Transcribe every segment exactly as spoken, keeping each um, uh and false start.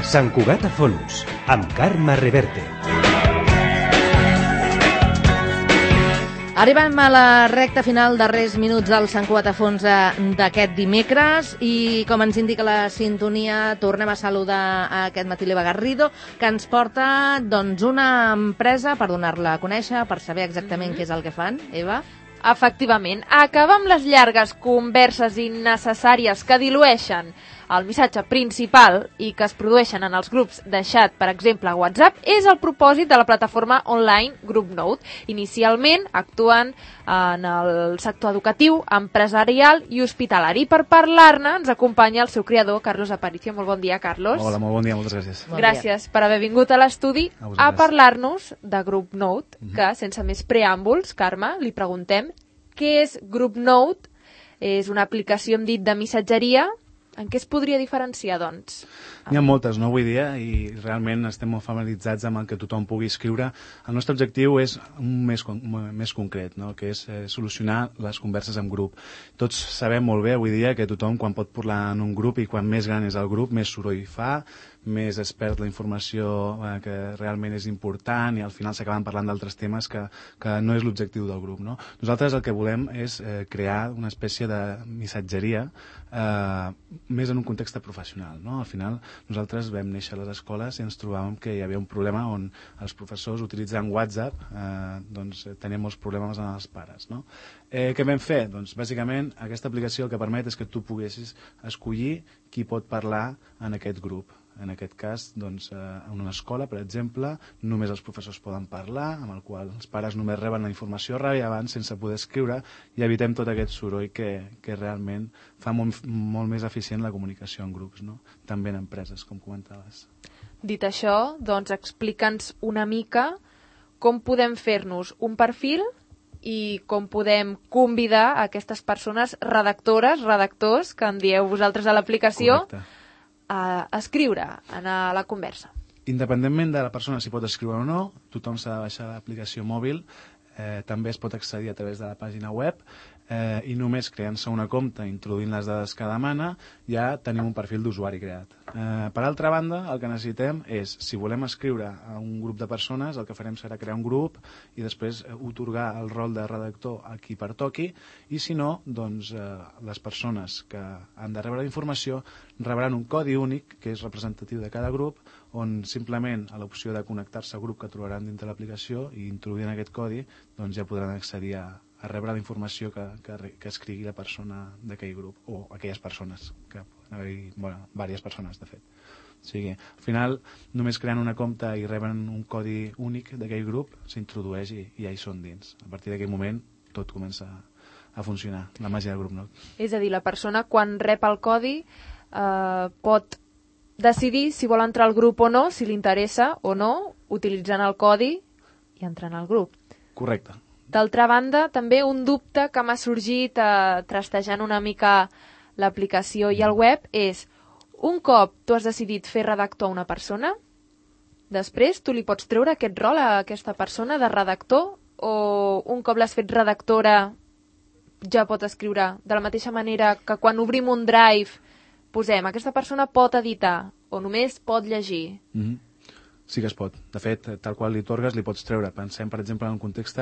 Sant Cugat a fons, amb Carme Reverte. Arribem a la recta final, darrers minuts del Sant Cugat a fons d'aquest dimecres, i com ens indica la sintonia, tornem a saludar aquest matí l'Eva Garrido, que ens porta doncs, una empresa per donar-la a conèixer, per saber exactament mm-hmm. què és el que fan. Eva? Efectivament, acabar amb les llargues converses innecessàries que dilueixen el missatge principal i que es produeixen en els grups de xat, per exemple, a WhatsApp, és el propòsit de la plataforma online GroupNote. Inicialment actuen en el sector educatiu, empresarial i hospitalari. Per parlar-ne ens acompanya el seu creador, Carlos Aparicio. Molt bon dia, Carlos. Hola, molt bon dia, moltes gràcies. Bon gràcies dia. Per haver vingut a l'estudi a, a parlar-nos de GroupNote, mm-hmm. que, sense més preàmbuls, Carme, li preguntem què és GroupNote. És una aplicació, hem dit, de missatgeria. En què es podria diferenciar, doncs? N'hi ha moltes, no, avui dia, i realment estem molt familiaritzats amb el que tothom pugui escriure. El nostre objectiu és un més, més concret, no? Que és eh, solucionar les converses en grup. Tots sabem molt bé avui dia que tothom, quan pot parlar en un grup i quan més gran és el grup, més soroll fa, més es perd la informació eh, que realment és important i al final s'acaben parlant d'altres temes que, que no és l'objectiu del grup, no? Nosaltres el que volem és eh, crear una espècie de missatgeria eh, més en un context professional, no? Al final nosaltres vam néixer a les escoles i ens trobàvem que hi havia un problema on els professors utilitzant WhatsApp eh, doncs, tenien molts problemes amb els pares, no? Eh, què vam fer? Doncs bàsicament aquesta aplicació el que permet és que tu poguessis escollir qui pot parlar en aquest grup. En aquest cas, doncs, en una escola, per exemple, només els professors poden parlar, amb el qual els pares només reben la informació rellevant sense poder escriure i evitem tot aquest soroll que, que realment fa molt, molt més eficient la comunicació en grups, no? També en empreses, com comentaves. Dit això, doncs explica'ns una mica com podem fer-nos un perfil i com podem convidar a aquestes persones redactores, redactors, que en dieu vosaltres a l'aplicació, Correcte. a escriure, a anar a la conversa. Independentment de la persona si pot escriure o no, tothom s'ha de baixar l'aplicació mòbil, eh, també es pot accedir a través de la pàgina web eh, i només creant-se una compte, introduint les dades que demana, ja tenim un perfil d'usuari creat. Eh, per altra banda, el que necessitem és, si volem escriure a un grup de persones, el que farem serà crear un grup i després eh, otorgar el rol de redactor a qui pertoqui, i si no, doncs eh, les persones que han de rebre la informació rebran un codi únic, que és representatiu de cada grup, on simplement a l'opció de connectar-se al grup que trobaran dintre l'aplicació i introduint aquest codi, doncs ja podran accedir a, a rebre la informació que, que, que escrigui la persona d'aquell grup, o aquelles persones, que poden haver-hi, bueno, diverses persones, de fet. O sigui, al final, només creant una compte i reben un codi únic d'aquell grup, s'introdueix i, i ja hi són dins. A partir d'aquell moment, tot comença a, a funcionar, la màgia del GroupNote. És a dir, la persona, quan rep el codi, eh, pot decidir si vol entrar al grup o no, si li interessa o no, utilitzant el codi i entrant al grup. Correcte. D'altra banda, també un dubte que m'ha sorgit eh, trastejant una mica l'aplicació i el web és, un cop tu has decidit fer redactor a una persona, després tu li pots treure aquest rol a aquesta persona de redactor, o un cop l'has fet redactora ja pot escriure de la mateixa manera que quan obrim un drive posem, aquesta persona pot editar o només pot llegir? Mm-hmm. Sí que es pot. De fet, tal qual li torgues, li pots treure. Pensem, per exemple, en un context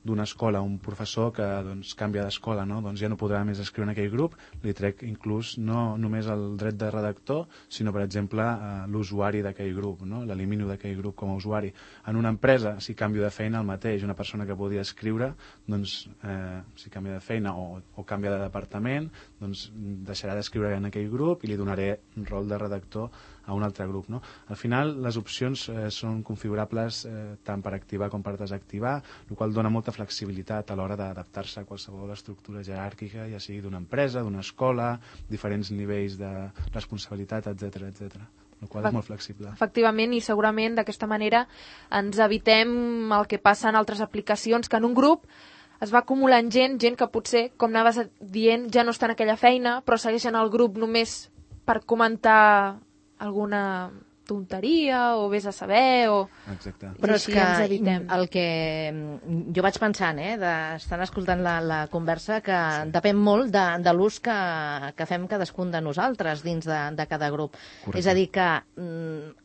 d'una escola, un professor que doncs, canvia d'escola, no? Doncs ja no podrà més escriure en aquell grup, li trec inclús no només el dret de redactor, sinó, per exemple, eh, l'usuari d'aquell grup, no? L'elimino d'aquell grup com a usuari. En una empresa, si canvio de feina, el mateix, una persona que podia escriure, doncs, eh, si canvia de feina o, o canvia de departament, doncs deixarà d'escriure en aquell grup i li donaré un rol de redactor a un altre grup, no? Al final, les opcions eh, són configurables eh, tant per activar com per desactivar, el qual dona molta flexibilitat a l'hora d'adaptar-se a qualsevol estructura jeràrquica, ja sigui d'una empresa, d'una escola, diferents nivells de responsabilitat, etcètera, etcètera. El qual és molt flexible. Efectivament, i segurament d'aquesta manera ens evitem el que passa en altres aplicacions, que en un grup es va acumulant gent, gent que potser, com anaves dient, ja no està en aquella feina, però segueixen el grup només per comentar alguna tonteria o vés a saber o... Exacte. Però és així que ens evitem. el que jo vaig pensant, eh, de, estant escoltant la, la conversa, que sí. depèn molt de, de l'ús que, que fem cadascun de nosaltres dins de, de cada grup. Correcte. És a dir, que mm,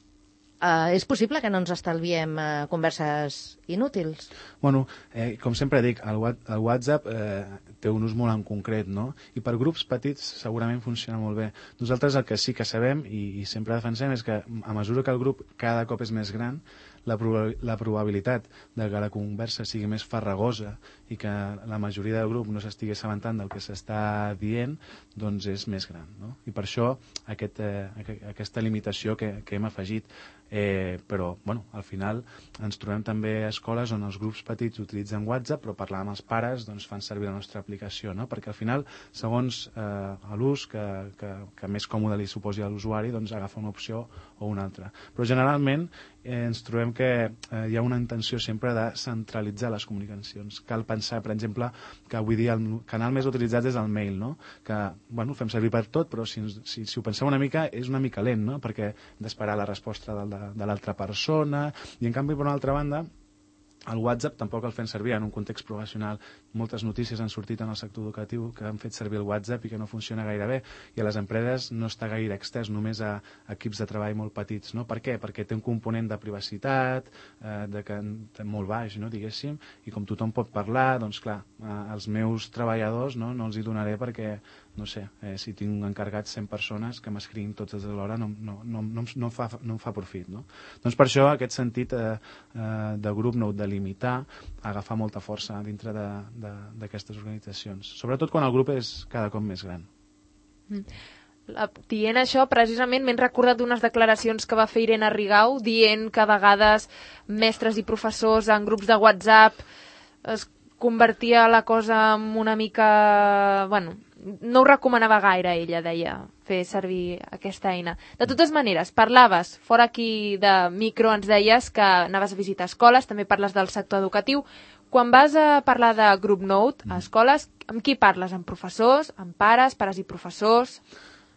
eh, és possible que no ens estalviem eh, converses inútils? Bueno, eh, com sempre dic, el, el WhatsApp eh, té un ús molt en concret, no? I per grups petits segurament funciona molt bé. Nosaltres el que sí que sabem i, i sempre defensem és que a mesura que el grup cada cop és més gran, la, proba la probabilitat de que la conversa sigui més farragosa i que la majoria del grup no s'estigui assabentant del que s'està dient, doncs és més gran, no? I per això aquest, eh, aquesta limitació que, que hem afegit. Eh, però, bueno, al final ens trobem també a escoles on els grups petits utilitzen WhatsApp, però parlar amb els pares doncs, fan servir la nostra aplicació, no? Perquè al final, segons eh, l'ús que, que, que més còmode li suposi a l'usuari, doncs agafa una opció o una altra. Però generalment eh, ens trobem que eh, hi ha una intenció sempre de centralitzar les comunicacions. Cal pensar, per exemple, que avui dia el canal més utilitzat és el mail, no? Que, bueno, fem servir per tot, però si, si, si ho penseu una mica, és una mica lent, no? Perquè hem d'esperar la resposta del de, de l'altra persona, i en canvi, per una altra banda, el WhatsApp tampoc el fem servir en un context professional. Moltes notícies han sortit en el sector educatiu que han fet servir el WhatsApp i que no funciona gaire bé, i a les empreses no està gaire extès, només a equips de treball molt petits, no? Per què? Perquè té un component de privacitat, eh, de que, de molt baix, no? Diguéssim, i com tothom pot parlar, doncs clar, eh, els meus treballadors no, no els hi donaré perquè, no sé, eh, si tinc encarregats cent persones que m'escriguin totes alhora no, no, no, no, no, em fa, no em fa profit, no? Doncs per això aquest sentit eh, eh, de grup nou, de limitar, agafar molta força dintre d'aquestes organitzacions, sobretot quan el grup és cada cop més gran. Mm. La, dient això, precisament m'he recordat d'unes declaracions que va fer Irene Rigau dient que a vegades mestres i professors en grups de WhatsApp es convertia la cosa en una mica... Bueno, no ho recomanava gaire, ella deia, fer servir aquesta eina. De totes maneres, parlaves, fora aquí de micro ens deies que anaves a visitar escoles, també parles del sector educatiu. Quan vas a parlar de Group Note a escoles, amb qui parles? Amb professors, amb pares, pares i professors?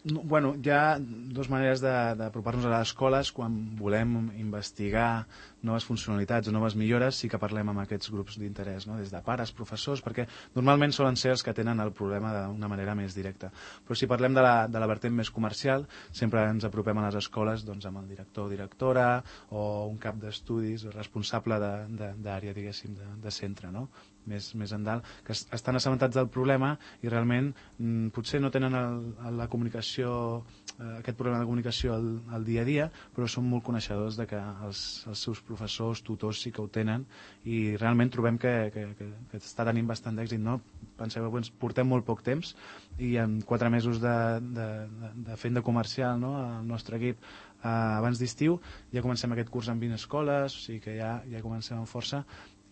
No, bueno, hi ha dues maneres d'apropar-nos a les escoles. Quan volem investigar noves funcionalitats o noves millores, sí que parlem amb aquests grups d'interès, no? Des de pares, professors, perquè normalment solen ser els que tenen el problema d'una manera més directa. Però si parlem de la, de la vertent més comercial, sempre ens apropem a les escoles doncs, amb el director o directora o un cap d'estudis responsable d'àrea, diguéssim, de, de centre, no? Més, més endalt, que estan assabentats del problema i realment mm, potser no tenen el, la comunicació, eh, aquest problema de comunicació al, al dia a dia, però són molt coneixedors de que els, els seus professors, tutors sí que ho tenen, i realment trobem que, que, que, que està tenint bastant d'èxit, no? Penseu que portem molt poc temps i en quatre mesos de, de, de, de fent de comercial, no? El nostre equip eh, abans d'estiu ja comencem aquest curs en vint escoles, o sigui que ja, ja comencem amb força,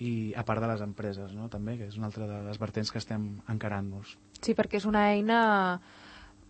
i a part de les empreses, no? També, que és una altra de les vertents que estem encarant-nos. Sí, perquè és una eina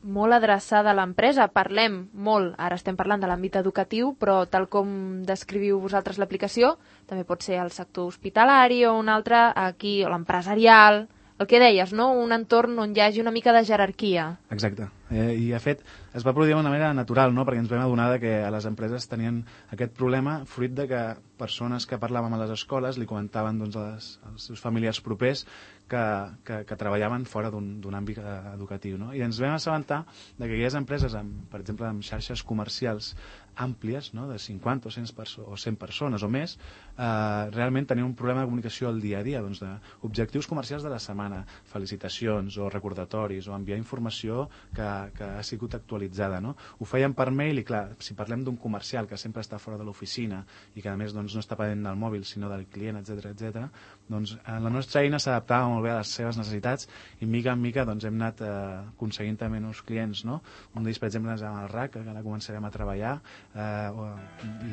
molt adreçada a l'empresa. Parlem molt, ara estem parlant de l'àmbit educatiu, però tal com descriviu vosaltres l'aplicació, també pot ser el sector hospitalari o un altre aquí, o l'empresarial, el que deies, no? Un entorn on hi hagi una mica de jerarquia. Exacte. Eh, I, de fet, es va produir d'una manera natural, no? Perquè ens vam adonar que a les empreses tenien aquest problema fruit de que persones que parlàvem a les escoles li comentaven doncs, als, als seus familiars propers que, que, que treballaven fora d'un àmbit educatiu, no? I ens vam assabentar de que aquelles empreses, amb, per exemple, amb xarxes comercials àmplies, no? De cinquanta o cent, perso o cent persones o més, eh, realment tenien un problema de comunicació al dia a dia, doncs, d'objectius comercials de la setmana, felicitacions o recordatoris o enviar informació que, que ha sigut actualitzada, no? Ho feien per mail i, clar, si parlem d'un comercial que sempre està fora de l'oficina i que, a més, doncs, no està pendent del mòbil, sinó del client, etcètera, etcètera, doncs la nostra eina s'adaptava molt bé a les seves necessitats i, mica en mica, doncs, hem anat eh, aconseguint també nous clients, no? Un d'ells, per exemple, és amb el R A C, que ara començarem a treballar, eh,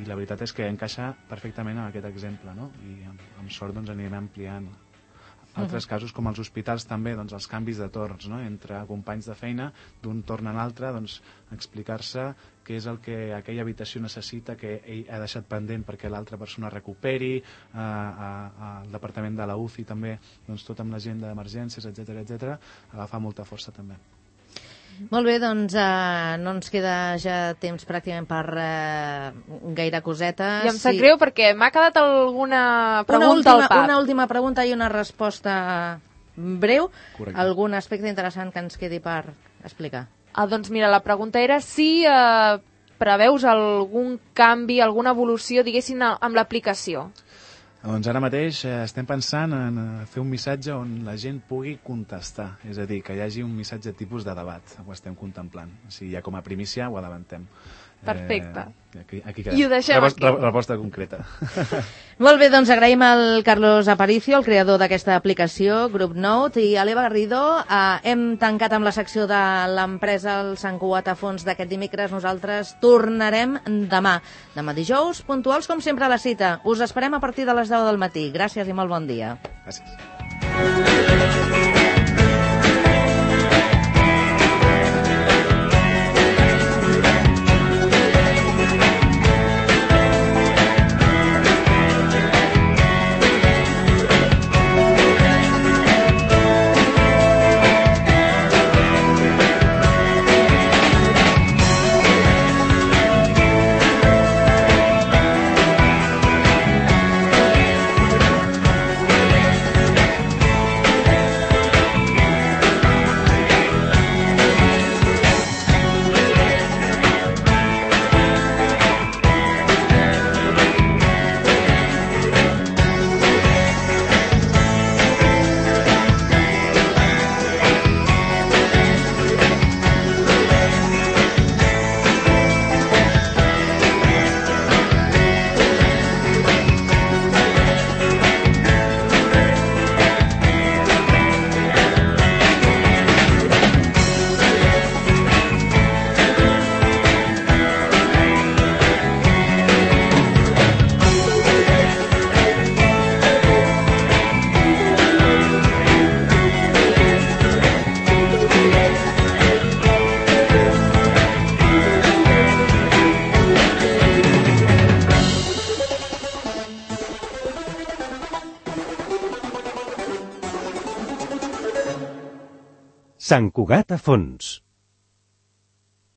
i la veritat és que encaixa perfectament amb aquest exemple, no? I amb, amb sort doncs, anirem ampliant. Altres uh-huh. casos, com els hospitals també, doncs, els canvis de torns, no? Entre companys de feina, d'un torn a l'altre, doncs, explicar-se què és el que aquella habitació necessita que ell ha deixat pendent perquè l'altra persona recuperi, eh, al departament de la U C I també, doncs, tot amb la gent d'emergències, etcètera, etcètera, agafa molta força també. Molt bé, doncs eh, no ens queda ja temps pràcticament per eh, gaire cosetes. I em sap sí. greu perquè m'ha quedat alguna pregunta una última, al pap. Una última pregunta i una resposta breu. Correcte. Algun aspecte interessant que ens quedi per explicar? Ah, doncs mira, la pregunta era si eh, preveus algun canvi, alguna evolució, diguéssim, amb l'aplicació. Doncs ara mateix eh, estem pensant en eh, fer un missatge on la gent pugui contestar, és a dir, que hi hagi un missatge tipus de debat, ho estem contemplant. O sigui, ja com a primícia ho avancem. Perfecte. Eh, aquí, aquí quedem. I ho deixem Reposta, aquí. Resposta concreta. Molt bé, doncs agraïm al Carlos Aparicio, el creador d'aquesta aplicació, GroupNote, i a l'Eva Garrido. Eh, hem tancat amb la secció de l'empresa el Sant Cugat a fons d'aquest dimecres. Nosaltres tornarem demà. Demà dijous, puntuals com sempre a la cita. Us esperem a partir de les deu del matí. Gràcies i molt bon dia. Gràcies. Sant Cugat a fons.